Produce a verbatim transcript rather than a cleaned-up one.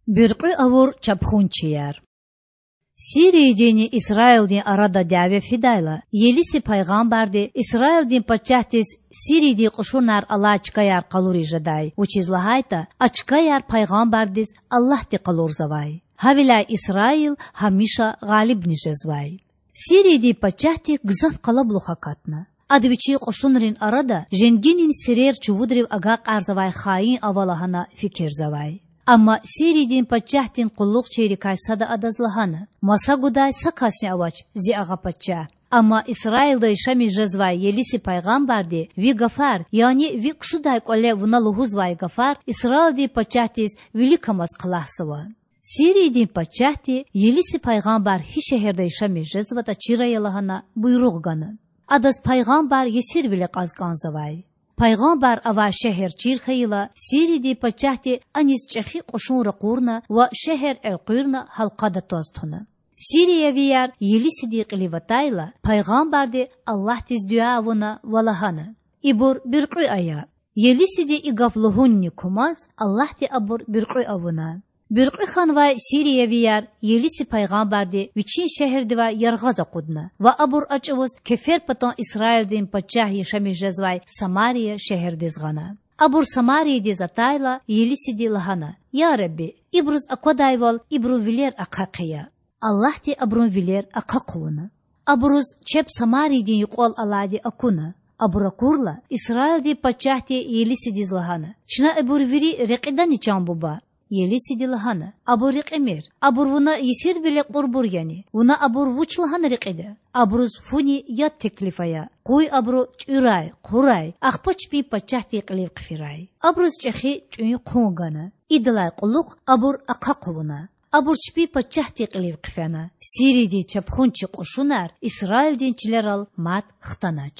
Буьркьуь авур чапхунчияр. Сириядинни Исраилдин арада дяве фидайла, Елиси пайгъамбарди Исраилдин пачагьдиз Сириядин кьушунар алай чкаяр къалуриз жедай, вучиз лагьайтІа а чкаяр пайгъамбардиз Аллагьди къалурзавай. Гьавиляй Исраил гьамиша гъалибни жезвай. Сириядин пачагьди гзаф къалабулух акатна. Ада вичин кьушунрин арада женгинин сирер чувудрив агакьарзавай хаин ава лагьана фикирзавай. Амма Сириядин пачагьдин къуллугъчийрикай сада адаз лагьана: Маса гудай са касни авач, зи агъа пачагь. Амма Исраилда яшамиш жезвай Елиси пайгъамбарди ви гафар, яни ви ксудай кІвале вуна лугьузвай гафар Исраилдин пачагьдиз виликамаз хълагьзава. Сириядин пачагьди Елиси пайгъамбар гьи шегьерда яшамиш жезватІа чир ая лагьана буйругъ гана. Адаз пайгъамбар есирвиле кьаз кІанзавай. Пайгъамбар авай шегьер чир хьайила, Сириядин пачагьди аниз чІехи кьушун ракъурна ва шегьер элкъуьрна гьалкъада тваз туна. Сириявияр Елисидин кьилив атайла, пайгъамбарди Аллагьдиз дуьа авуна ва лагьана: Ибур буьркьуь ая. Елисиди и гаф лугьунни кумаз, Аллагьди абур буьркьуь авуна. Буьркьуь хьанвай сириявияр Елиси пайгъамбарди вичин шегьердивай яргъаз акъудна ва абур а чІавуз кеферпатан Исраилдин пачагь яшамиш жезвай Самария шегьердиз гъана. Абур Самариядиз атайла, Елисиди лагьана: Я Ребби, ибуруз аквадайвал ибурун вилер ахъа хъия. Аллагьди абурун вилер ахъа хъувуна. Абуруз чеб Самариядин юкьвал алайди акуна. Абур акурла, Исраилдин пачагьди Елисидиз лагьана: Чна ибур вири рекьидани, чан буба? Елисиди лагьана: Абур рекьимир. Абур вуна есирвиле кьурбур яни? Вуна абур вуч лагьана рекьида? Абуруз фуни яд теклиф ая. Къуй абуру тІуьрай, хъурай, ахпа чпин пачагьдин кьилив хъфирай. Абуруз чІехи тІуьн-хъун гана. Идалай кьулухъ абур ахъа хъувуна. Абур чпин пачагьдин кьилив хъфена. Сириядин чапхунчи кьушунар Исраилдин чилерал мад хтанач.